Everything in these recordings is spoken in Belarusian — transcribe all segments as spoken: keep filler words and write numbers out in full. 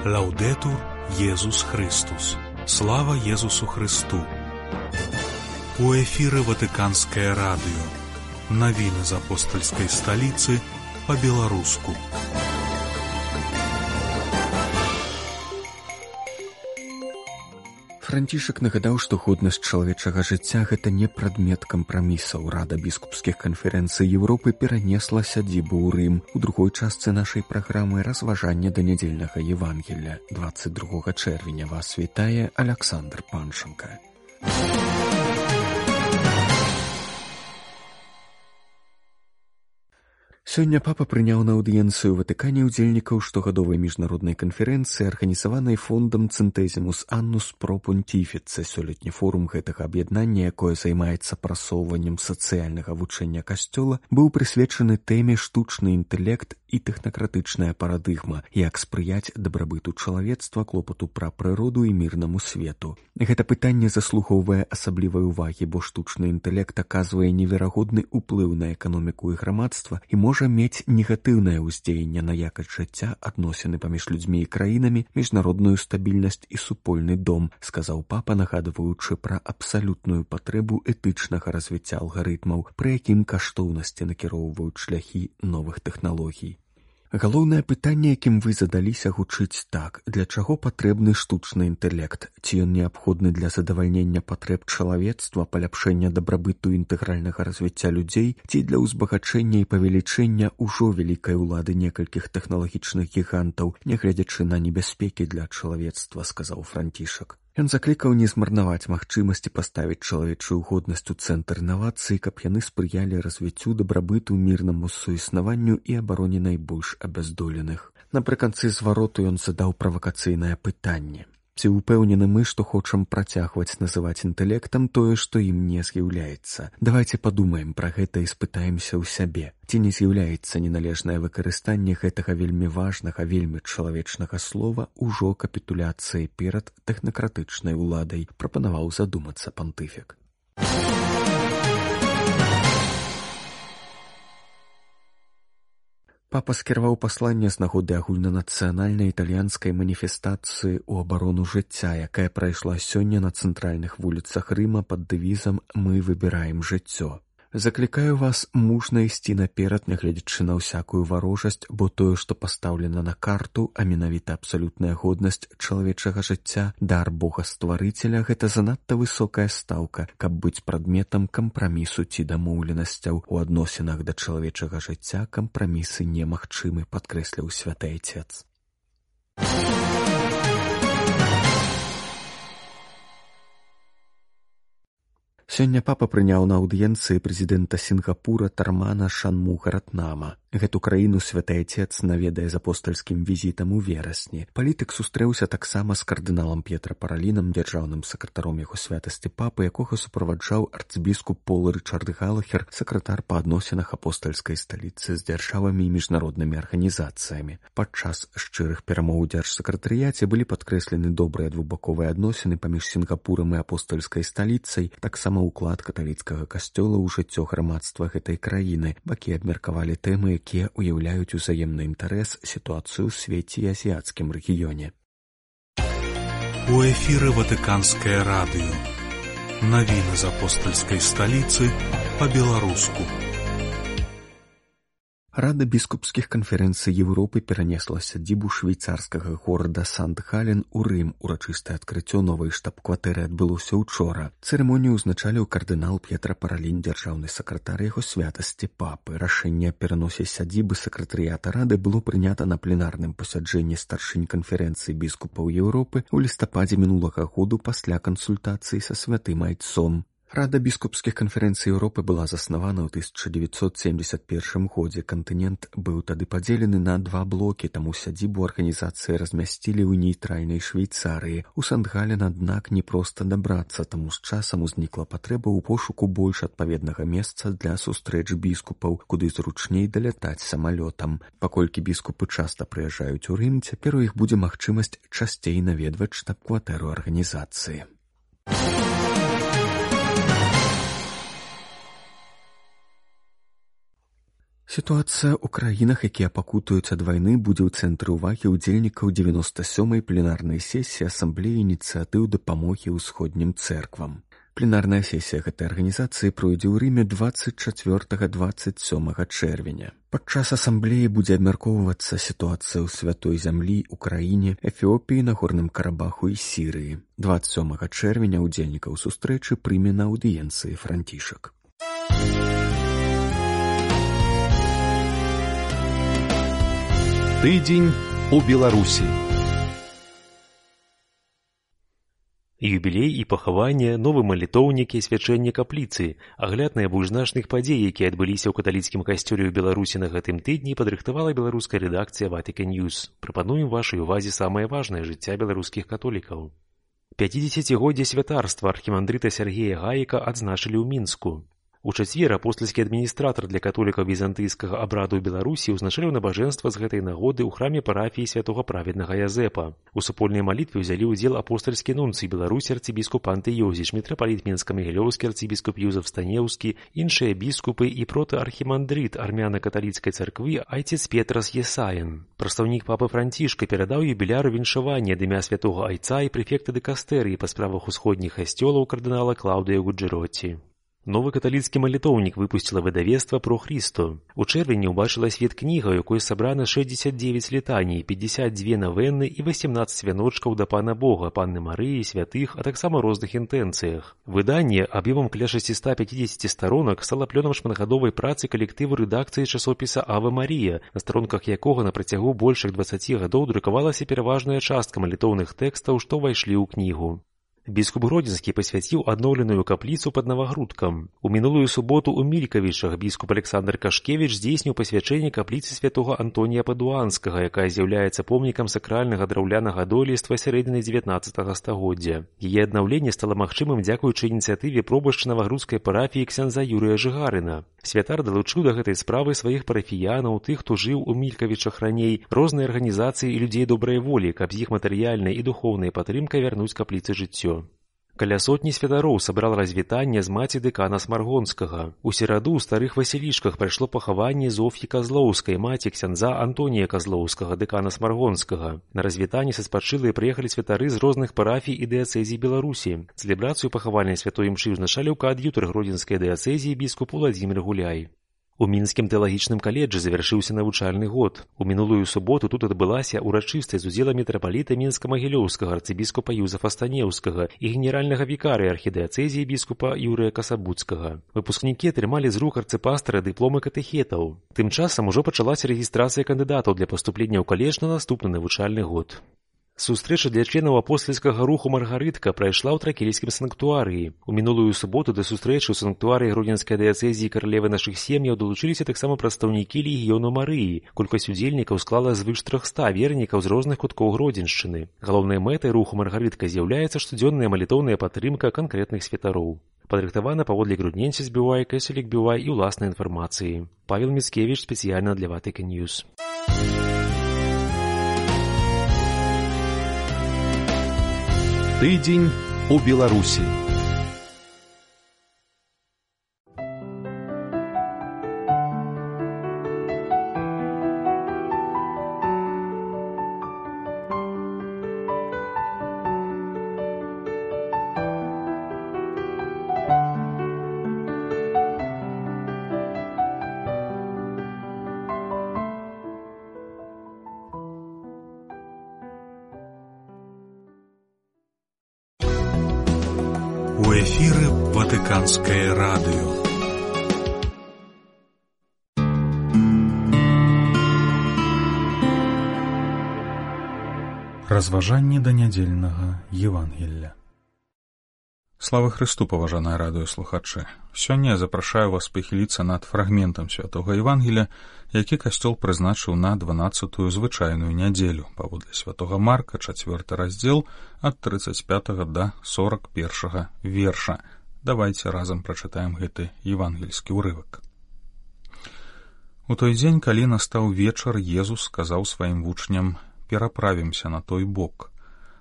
Лаўдэтур Езус Христус. Слава Езусу Христу. У эфіры Ватыканскае радыё. Навіны з апостальскай сталіцы па-беларуску. Францішак нагадаў, што годнасць чалавечага жыцця – гэта не прадмет кампрамісаў. Рада біскупскіх канферэнцый Еўропы перанесла сядзібу ў Рым. У другой частцы нашай праграмы разважанне да нядзельнага Евангелля. дваццаць другога чэрвеня вас вітае Аляксандр Панченка. Сёння папа прыняў на аўдыенцыю ў Ватыкане ўдзельнікаў штогадовай міжнароднай канферэнцыі, арганізаванай фондам Цэнтэзімус Аннус Про Понтіфіце. Сёлетні форум гэтага аб'яднання, якое займаецца прасоўваннем сацыяльнага вучэння касцёла, быў прысвечаны тэме штучны інтэлект і тэхнакратычная парадыгма, як спрыяць дабрабыту чалавецтва, клопату пра прыроду і мірнаму свету. Гэта пытанне заслугоўвае асаблівай увагі, бо штучны інтэлект аказвае неверагодны ўплыў на эканоміку і грамадства і можа мець негатыўнае ўздзеянне на якасць жыцця, адносіны паміж людзьмі і краінамі, міжнародную стабільнасць і супольны дом, сказаў папа, нагадваючы пра абсалютную патрэбу этычнага развіцця алгарытмаў, пры якім каштоўнасці накіроўваюць шляхі новых тэхналогій. Галоўнае пытанне, якім вы задаліся, гучыць так: для чаго патрэбны штучны інтэлект? Ці ён неабходны для задавальнення патрэб чалавецтва, паляпшэння дабрабыту інтэгральнага развіцця людзей, ці для ўзбагачэння і павелічэння ўжо вялікай улады некалькіх тэхналагічных гігантаў, нягледзячы на небяспекі для чалавецтва, сказаў Францішак. Ён заклікаў не змарнаваць магчымасці паставіць чалавечую годнасць у цэнтр інавацый, каб яны спрыялі развіццю дабрабыту, мірнаму суіснаванню і абароне найбольш абяздоленых. Напрыканцы звароту ён задаў правакацыйнае пытанне. Ці ўпэўнены мы, што хочам працягваць называць інтэлектам тое, што ім не з'яўляецца? Давайце падумаем пра гэта і спытаемся ў сябе. Ці не з'яўляецца неналежнае выкарыстанне гэтага вельмі важнага, вельмі чалавечнага слова ўжо капітуляцыяй перад тэхнакратычнай уладай, прапанаваў задумацца пантыфік. Папа скіраваў пасланне з нагоды агульнанацыянальнай італьянскай маніфестацыі ў абарону жыцця, якая прайшла сёння на цэнтральных вуліцах Рыма пад дэвізам «Мы выбіраем жыццё». Заклікаю вас мужна ісці наперад, нягледзячы на ўсякую варожасць, бо тое, што пастаўлена на карту, а менавіта абсалютная годнасць чалавечага жыцця, дар Бога-стварыцеля, гэта занадта высокая стаўка, каб быць прадметам кампрамісу ці дамоўленасцяў. У адносінах да чалавечага жыцця кампрамісы немагчымы, падкрэсліў святы айцец. Сёння папа прыняў на аўдыенцыі прэзідэнта Сінгапура Тармана Шанмугаратнама. Гэту краіну святы айцец наведае з апостальскім візітам у верасні. Палітык сустрэўся таксама з кардыналам П'етра Паралінам, дзяржаўным сакратаром яго святасці папы, якога суправаджаў арцбіскуп Пол Рычард Галахер, сакратар па адносінах апостальскай сталіцы з дзяржавамі і міжнароднымі арганізацыямі. Падчас шчырых перамоў у дзяржсакратарыяце былі падкрэслены добрыя двухбаковыя адносіны паміж Сінгапурам і апостальскай сталіцай, таксама ўклад каталіцкага касцёла ў жыццё грамадства гэтай краіны. Бакі абмеркавалі тэмы, якія ўяўляюць узаемны інтарэс, сітуацыю ў свеце і азіяцкім рэгіёне. У эфіры Ватыканскае радыё. Навіны з апостальскай сталіцы па-беларуску. Рада біскупскіх канферэнцый Еўропы перанесла сядзібу швейцарскага горада Сант-Гален у Рым. Урачыстае адкрыццё новай штаб-кватэры адбылося ўчора. Цырымонію ўзначаліў кардынал П'етра Паралін, дзяржаўны сакратар яго святасці папы. Рашэнне аб пераносе сядзібы сакратарыята рады было прынята на пленарным пасяджэнні старшынь канферэнцыі біскупаў Еўропы ў лістападзе мінулага году пасля кансультацыі са святым айцом. Рада біскупскіх канферэнцый Еўропы была заснавана ў тысяча дзевяцьсот семьдесят першым годзе. Кантынент быў тады падзелены на два блокі, таму сядзібу арганізацыі размясцілі ў нейтральнай Швейцарыі. У Сант-Гален, аднак, не проста дабрацца, таму з часам узнікла патрэба ў пошуку больш адпаведнага месца для сустрэч біскупаў, куды зручней далятаць самалётам. Паколькі біскупы часта прыязджаюць у Рым, цяпер у іх будзе магчымасць часцей наведваць штаб-кватэру арганізацыі. Сітуацыя ў краінах, якія пакутуюць ад вайны, будзе ў цэнтры ўвагі ўдзельнікаў дзевяноста сёмай пленарнай сесіі Асамблеі ініцыятыў дапамогі ўсходнім цэрквам. Пленарная сесія гэтай арганізацыі пройдзе ў Рыме дваццаць чацвёртага - дваццаць сёмага чэрвеня. Падчас асамблеі будзе абмяркоўвацца сітуацыя ў святой зямлі, Украіне, Эфіопіі, Нагорным Карабаху і Сірыі. дваццаць сёмага чэрвеня ўдзельнікаў сустрэчы прыме на аўдыенцыі Францішак. Тыдзень у Беларусі. Юбілей і пахаванне, новы малітоўнік і свячэнне капліцы, агляд найбольш значных падзей, якія адбыліся ў каталіцкім касцёле ў Беларусі на гэтым тыдні, падрыхтавала беларуская рэдакцыя Vatican News. Прапануем вашай увазе самае важнае жыцця беларускіх католікаў. пяцідзесяцігоддзе святарства архімандрыта Сергея Гаіка адзначылі ў Мінску. У чацвер апостальскі адміністратар для католікаў візантыйскага абраду ў Беларусі ўзначаліў набажэнства з гэтай нагоды ў храме парафіі святога праведнага Язэпа. У супольнай малітве ўзялі ўдзел апостальскі нунцый Беларусі арцыбіскуп Антыёзіч, мітрапаліт Мінска-Магілёўскі арцыбіскуп Юзаф Станеўскі, іншыя біскупы і протаархімандрыт армяна-каталіцкай царквы айцец Петрас Есаін. Прадстаўнік папы Францішка перадаў юбіляру віншаванне ад імя святога айца і прэфекта дэкастэрыі па справах усходніх касцёлаў кардынала Клаўдыя Гуджэроці. Новы каталіцкі малітоўнік выпусціла выдавецтва «Про Христо». У чэрвені ўбачыла свет кніга, у якой сабрана шэсцьдзесят дзевяць літаній, пятьдесят две навенны і васемнаццаць вяночкаў да Пана Бога, Панны Марыі, святых, а таксама розных інтэнцыях. Выданне аб'ёмам каля шасцьсот пятьдесят старонак стала плёнам шматгадовай працы калектыву рэдакцыі часопіса «Ава Марія», на старонках якога на працягу большых дваццаці гадоў друкавалася пераважная частка малітоўных тэкстаў, што ўвайшлі ў кнігу. Біскуп Гродзенскі пасвяціў адноўленую капліцу пад Навагрудкам. У мінулую суботу ў Мількавічах біскуп Александр Кашкевіч здзейсніў пасвячэнне капліцы святога Антонія Падуанскага, якая з'яўляецца помнікам сакральнага драўлянага дойлідства сярэдзіны дзевятнаццатага стагоддзя. Яе аднаўленне стала магчымым дзякуючы ініцыятыве пробашча Навагрудскай парафіі ксяндза Юрыя Жыгарына. Святар далучыў да гэтай справы сваіх парафіянаў, тых, хто жыў у Мількавічах раней, розныя арганізацыі і людзей добрай волі, каб з іх матэрыяльнай і духоўнай падтрымкай вярнуць капліцы жыццё. Каля сотні святароў сабрал развітанне з маці дэкана Смаргонскага. У сераду ў старых Васілішках прайшло пахаванне Зоф'і Казлоўскай, маці ксяндза Антонія Казлоўскага, дэкана Смаргонскага. На развітанне са спачылыя прыехалі святары з розных парафій і дыяцэзій Беларусі. Цэлебрацыю пахавальнай святой імшы ўзначаліў каад'ютар гродзенскай дыяцэзіі біскуп Уладзімір Гуляй. У мінскім тэалагічным каледжы завяршыўся навучальны год. У мінулую суботу тут адбылася ўрачыстасць з удзелам мітрапаліта Мінска-Магілёўскага арцыбіскупа Юзафа Станеўскага і генеральнага вікарыя архідыяцэзіі біскупа Юрыя Касабуцкага. Выпускнікі атрымалі з рук арцыпастара дыпломы катэхетаў. Тым часам ужо пачалася рэгістрацыя кандыдатаў для паступлення ў каледж на наступны навучальны год. Сустрэча для членаў апостальскага руху Маргарытка прайшла ў тракельскім санктуарыі. У мінулую суботу да сустрэчы ў санктуарыі гродзенскай дыяцэзіі каралевы нашых сем'яў далучыліся таксама прадстаўнікі легіёну Марыі. Колькасць удзельнікаў склала звыш трохста вернікаў з розных куткоў Гродзеншчыны. Галоўнай мэтай руху Маргарытка з'яўляецца штодзённая малітоўная падтрымка канкрэтных святароў. Падрыхтавана паводле грудненці збівай, кэселік бівай і ўласнай інфармацыі. Павел Міцкевіч спецыяльна для Vatican News. Тыдзень у Беларусі. У эфіры Ватыканскае радыё. Разважанні да нядзельнага Евангелля. Слава Христу, паважаныя радыёслухачы! Сёння я запрашаю вас пахіліцца над фрагментам святога Евангелля, які касцёл прызначыў на дванаццатую звычайную нядзелю, паводле святога Марка, чацвёрты раздзел, ад трыццаць пятага да сорак першага верша. Давайце разам прачытаем гэты евангельскі ўрывак. У той дзень, калі настаў вечар, Езус сказаў сваім вучням: «Пераправімся на той бок».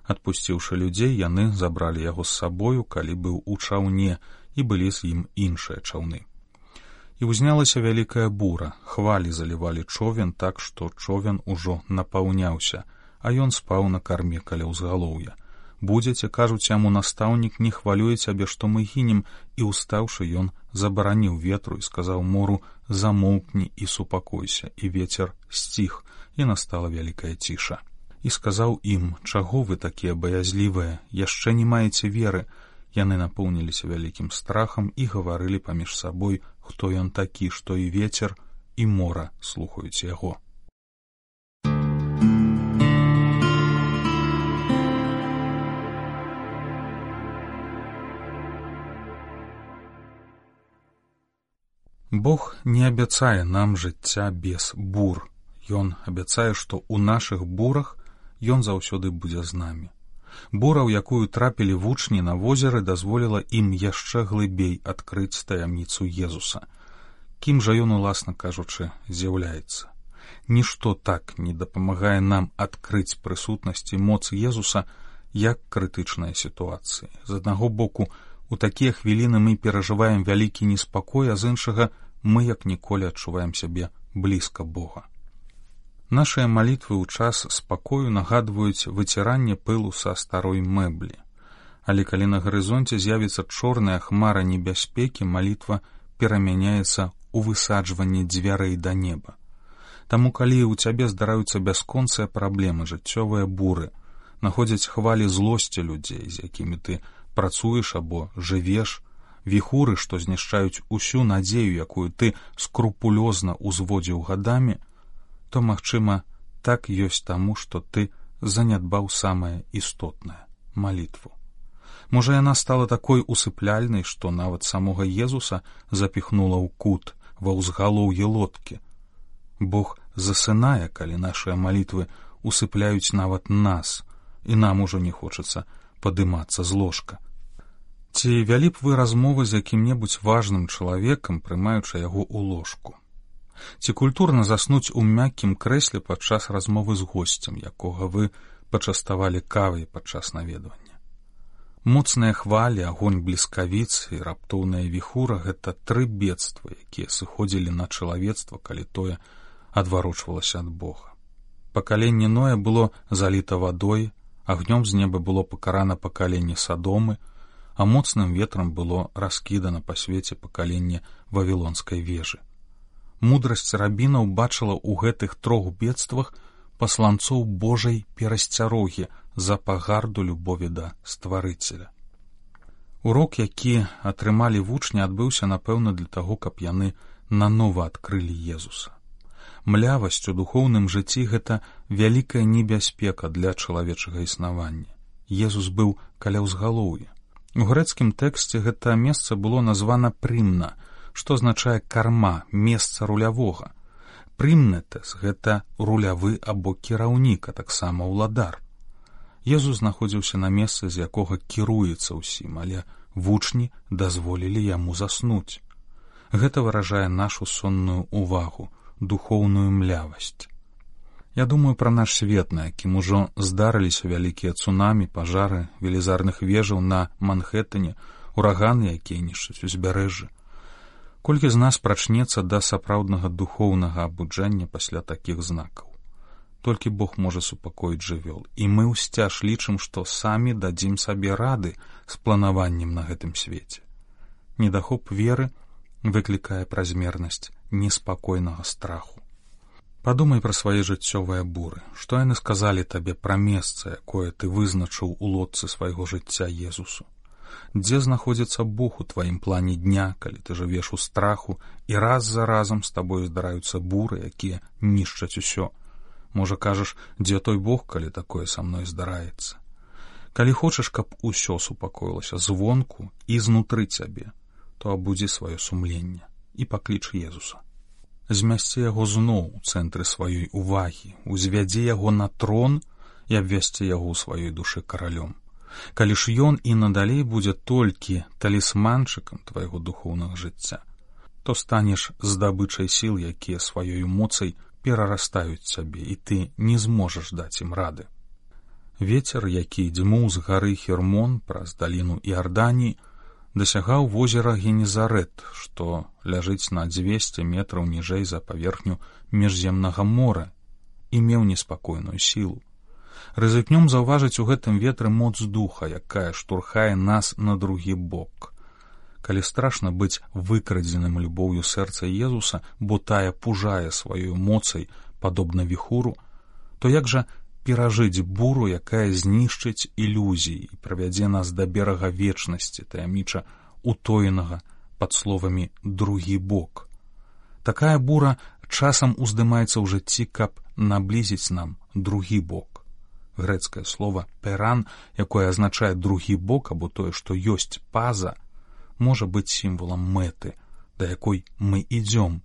Адпусціўшы людзей, яны забралі яго з сабою, калі быў у чаўне, і былі з ім іншыя чаўны. І ўзнялася вялікая бура, хвалі залівалі човен так, што човен ужо напаўняўся, а ён спаў на карме каля ўзгалоўя. Будзеце, кажуць яму, настаўнік, не хвалюе цябе, што мы гінем, і устаўшы ён забараніў ветру і сказаў мору: замоўкні і супакойся, і вецер сціх, і настала вялікая ціша. І сказаў ім: чаго вы такія баязлівыя, яшчэ не маеце веры? Яны напоўніліся вялікім страхам і гаварылі паміж сабой, хто ён такі, што і вецер, і мора слухаюць яго. Бог не абяцае нам жыцця без бур. Ён абяцае, што ў нашых бурах ён заўсёды будзе з намі. Бура, у якую трапілі вучні на возеры, дазволіла ім яшчэ глыбей адкрыць таямніцу Езуса. Кім жа ён, уласна кажучы, з'яўляецца? Нішто так не дапамагае нам адкрыць прысутнасць і моц Езуса, як крытычныя сітуацыі. З аднаго боку, у такія хвіліны мы перажываем вялікі неспакой, а з іншага мы як ніколі адчуваем сябе блізка Бога. Нашыя малітвы ў час спакою нагадваюць выціранне пылу са старой мэблі. Але калі на гарызонце з'явіцца чорная хмара небяспекі, малітва перамяняецца ў высаджванне дзвярэй да неба. Таму калі ў цябе здараюцца бясконцыя праблемы, жыццёвыя буры, находзяць хвалі злосці людзей, з якімі ты працуеш або жывеш, віхуры, што знішчаюць усю надзею, якую ты скрупулёзна ўзводзіў гадамі, то, магчыма, так ёсць таму, што ты занядбаў самае істотнае — малітву. Можа, яна стала такой усыпляльнай, што нават самога Езуса запіхнула ў кут, ва ўзгалоўе лодкі. Бог засынае, калі нашыя малітвы усыпляюць нават нас, і нам ужо не хочацца падымацца з ложка. Ці вялі б вы размовы з якім-небудзь важным чалавекам, прымаючы яго ў ложку? Ці культурна заснуць у мяккім крэсле падчас размовы з госцем, якога вы пачаставалі кавай падчас наведвання? Моцныя хвалі, агонь бліскавіц і раптоўная віхура — гэта тры бедствы, якія сыходзілі на чалавецтва, калі тое адварочвалася ад Бога. Пакаленне Ноя было заліта вадой, агнём з неба было пакарана пакаленне Садомы, а моцным ветрам было раскідана па свеце пакаленне Вавілонскай вежы. Мудрасць рабінаў бачыла ў гэтых трох бедствах пасланцоў Божай перасцярогі за пагарду любові да стварыцеля. Урок, які атрымалі вучні, адбыўся, напэўна, для таго, каб яны нанова адкрылі Езуса. Млявасць у духоўным жыцці — гэта вялікая небяспека для чалавечага існавання. Езус быў каля ўзгалоўя. У грэцкім тэксце гэта месца было названа прымна, што азначае карма, месца рулявога. Прымнетес — гэта рулявы або кіраўнік, а таксама ўладар. Езус знаходзіўся на месцы, з якога кіруецца ўсім, але вучні дазволілі яму заснуць. Гэта выражае нашу сонную увагу, духоўную млявасць. Я думаю пра наш свет, на якім ужо здарыліся вялікія цунамі, пажары, велізарных вежаў на Манхэттане, ураганы, якія нішчаць узбярэжжы. Колькі з нас прачнецца да сапраўднага духоўнага абуджэння пасля такіх знакаў? Толькі Бог можа супакоіць жывёл, і мы ўсцяж лічым, што самі дадзім сабе рады з планаваннем на гэтым свеце. Недахоп веры выклікае празмернасць неспакойнага страху. Падумай пра свае жыццёвыя буры. Што яны сказалі табе пра месца, якое ты вызначыў у лодцы свайго жыцця Езусу? Дзе знаходзіцца Бог у тваім плане дня, калі ты жывеш у страху, і раз за разам з табою здараюцца буры, якія нішчаць усё? Можа, кажаш, дзе той Бог, калі такое са мной здараецца? Калі хочаш, каб усё супакоілася звонку і знутры цябе, то абудзі сваё сумленне і пакліч Езуса. Змясці яго зноў у цэнтры сваёй увагі, узвядзе яго на трон і абвясці яго ў сваёй душы каралём. Калі ж ён і надалей будзе толькі талісманчыкам твайго духоўнага жыцця, то станеш здабычай сіл, якія сваёй моцай перарастаюць цябе, і ты не зможаш даць ім рады. Вецер, які дзьмуў з гары Хермон праз даліну Іарданіі, дасягаў возера Генезарэт, што ляжыць на дзвесце метраў ніжэй за паверхню міжземнага мора і меў неспакойную сілу. Рызыкнём заўважыць у гэтым ветры моц духа, якая штурхае нас на другі бок. Калі страшна быць выкрадзеным любоўю сэрца Езуса, бо тая пужае сваёй моцай, падобна віхуру, то як жа перажыць буру, якая знішчыць ілюзіі і правядзе нас да берага вечнасці, таямніча утоенага пад словамі «другі бок». Такая бура часам уздымаецца ў жыцці, каб наблізіць нам другі бок. Грэцкае слова «перан», якое азначае другі бок або тое, што ёсць паза, можа быць сімвалам мэты, да якой мы ідзём,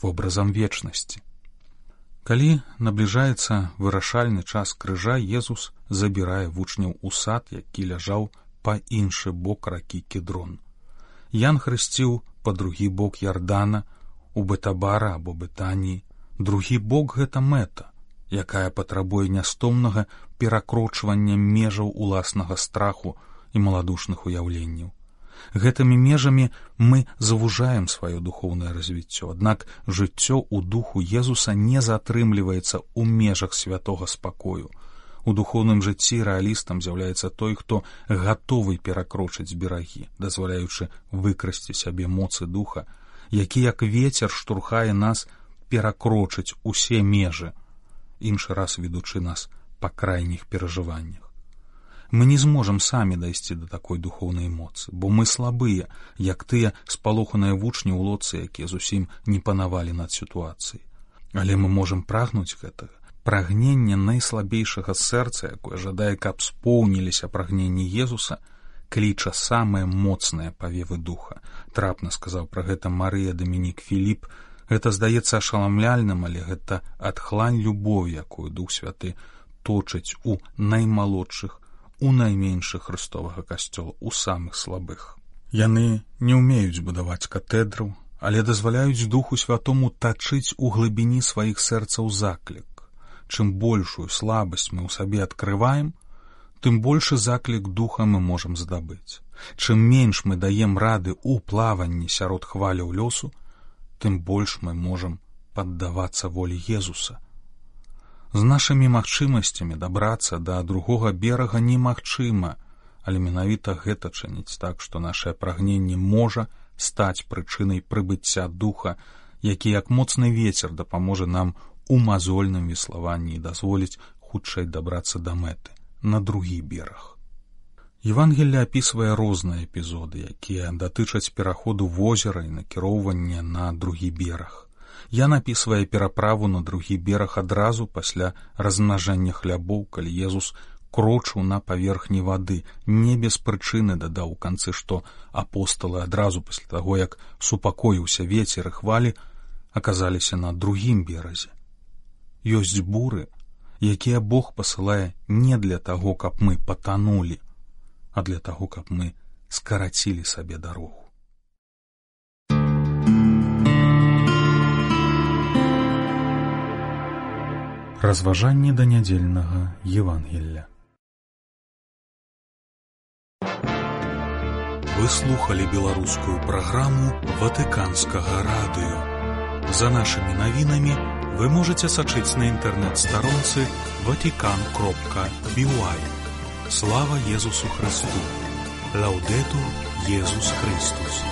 вобразам вечнасці. Калі набліжаецца вырашальны час крыжа, Езус забірае вучняў у сад, які ляжаў па іншы бок ракі Кедрон. Ян хрысціў па другі бок Ярдана, у Бетабара або Бетаніі. Другі бок — гэта мэта, якая патрабуе нястомнага перакрочвання межаў уласнага страху і маладушных уяўленняў. Гэтымі межамі мы завужаем сваё духоўнае развіццё, аднак жыццё ў духу Езуса не затрымліваецца ў межах святога спакою. У духоўным жыцці рэалістам з'яўляецца той, хто гатовы перакрочыць берагі, дазваляючы выкрасці сябе моцы духа, які як вецер штурхае нас перакрочыць усе межы, іншы раз ведучы нас па крайніх перажываннях. Мы не зможам самі дайсці да такой духоўнай моцы, бо мы слабыя, як тыя спалоханыя вучні ў лодцы, якія зусім не панавалі над сітуацыяй. Але мы можам прагнуць гэтага. Прагненне найслабейшага сэрца, якое жадае, каб споўніліся прагненні Езуса, кліча самыя моцныя павевы духа. Трапна сказаў пра гэта Марыя Дамінік Філіп. Гэта здаецца ашаламляльным, але гэта адхлань любові, якую Дух Святы точыць у наймалодшых, у найменшых хрыстовага касцёла, у самых слабых. Яны не ўмеюць будаваць катэдраў, але дазваляюць Духу Святому тачыць у глыбіні сваіх сэрцаў заклік. Чым большую слабасць мы ў сабе адкрываем, тым большы заклік духа мы можам здабыць. Чым менш мы даем рады ў плаванні сярод хваляў лёсу, тым больш мы можам паддавацца волі Езуса. З нашымі магчымасцямі дабрацца да другога берага немагчыма, але менавіта гэта чыніць так, што нашае прагненне можа стаць прычынай прыбыцця духа, які як моцны вецер дапаможа нам у мазольным веславанні і дазволіць хутчэй дабрацца да мэты, на другі бераг. Евангелле апісвае розныя эпізоды, якія датычаць пераходу возера і накіроўвання на другі бераг. Я напісвае пераправу на другі бераг адразу пасля размнажэння хлябоў, калі Езус крочыў на паверхні вады, не без прычыны дадаў у канцы, што апосталы адразу пасля таго, як супакоіўся вецер і хвалі, аказаліся на другім беразе. Ёсць буры, якія Бог пасылае не для таго, каб мы патанулі, а для таго, каб мы скарацілі сабе дарогу. Разважанні да нядзельнага Евангелля. Вы слухали беларускую праграму Ватыканскага радыё. За нашымі навінамі вы можаце сачыць на інтэрнэт-старонцы ватикан кропка би уай. Слава Езусу Христу! Лаўдэтур Езус Христус!